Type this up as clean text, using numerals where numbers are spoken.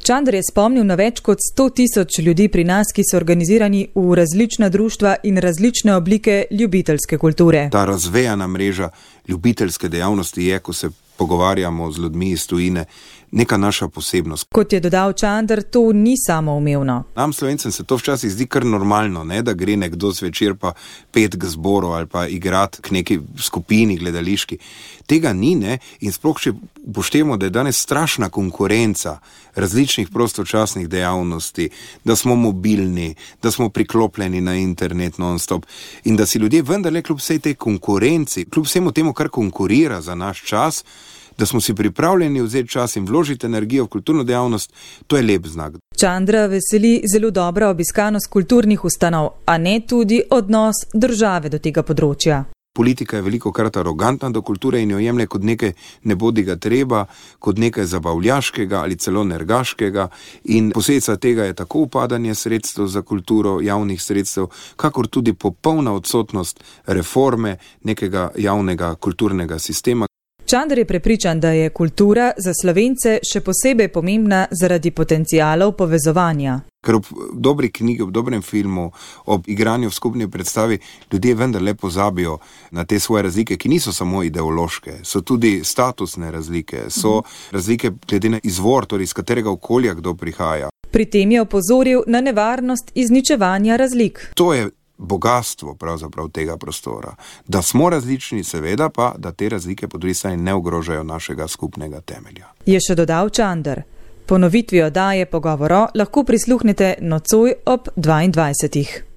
Čander je spomnil na več kot 100.000 ljudi pri nas, ki so organizirani v različna društva in različne oblike ljubiteljske kulture. Ta razvejana mreža ljubiteljske dejavnosti je, ko se pogovarjamo z ljudmi iz tujine, neka naša posebnost. Kot je dodal Čander, to ni samoumevno. Nam Slovencem se to včasih zdi kar normalno, ne, da gre nekdo zvečer pa pet k zboru ali pa igrati k neki skupini gledališki. Tega ni, ne, in sploh če upoštevamo, da je danes strašna konkurenca različnih prostočasnih dejavnosti, da smo mobilni, da smo priklopljeni na internet non-stop in da si ljudje vendarle kljub vsej tej konkurenci, kljub vsemu temu, kar konkurira za naš čas, da smo si pripravljeni vzeti čas in vložiti energijo v kulturno dejavnost, to je lep znak. Čandra veseli zelo dobra obiskanost kulturnih ustanov, a ne tudi odnos države do tega področja. Politika je velikokrat arogantna do kulture in jo jemlje kot nekaj nebodiga treba, kot nekaj zabavljaškega ali celo nergaškega, in posledica tega je tako upadanje sredstev za kulturo, javnih sredstev, kakor tudi popolna odsotnost reforme nekega javnega kulturnega sistema. Čander je prepričan, da je kultura za Slovence še posebej pomembna zaradi potencialov povezovanja. Ker ob dobri knjigi, ob dobrem filmu, ob igranju v skupni predstavi ljudje vendarle pozabijo na te svoje razlike, ki niso samo ideološke, so tudi statusne razlike, so razlike glede na izvor, torej iz katerega okolja kdo prihaja. Pri tem je opozoril na nevarnost izničevanja razlik. To je bogatstvo pravzaprav tega prostora. Da smo različni, seveda pa, da te razlike po drugi strani ne ogrožajo našega skupnega temelja. Je še dodal Čander. Ponovitvi oddaje Pogovoro lahko prisluhnete nocoj ob 22.